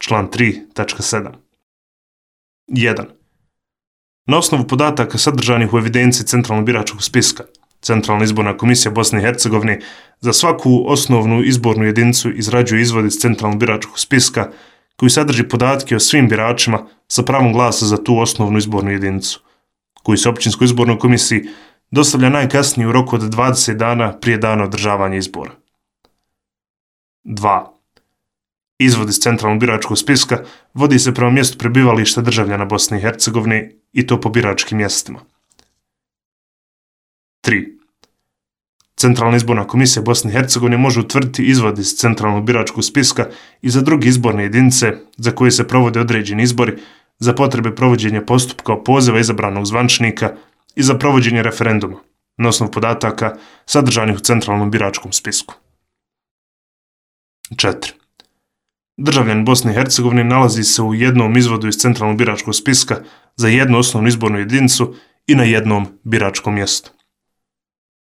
član 3.7. 1. Na osnovu podataka sadržanih u evidenciji Centralnog biračkog spiska, Centralna izborna komisija Bosne i Hercegovine za svaku osnovnu izbornu jedinicu izrađuje izvod iz Centralnog biračkog spiska koji sadrži podatke o svim biračima sa pravom glasa za tu osnovnu izbornu jedinicu, koji se općinskoj izbornoj komisiji dostavlja najkasnije u roku od 20 dana prije dana održavanja izbora. 2. Izvod iz Centralnog biračkog spiska vodi se prema mjestu prebivališta državljana Bosne i Hercegovine i to po biračkim mjestima. 3. Centralna izborna komisija Bosne i Hercegovine može utvrditi izvod iz Centralnog biračkog spiska i za druge izborne jedinice za koje se provode određeni izbori za potrebe provođenja postupka opoziva izabranog zvaničnika i za provođenje referenduma na osnovu podataka sadržanih u Centralnom biračkom spisku. 4. Državljan Bosne i Hercegovine nalazi se u jednom izvodu iz Centralnog biračkog spiska za jednu osnovnu izbornu jedinicu i na jednom biračkom mjestu.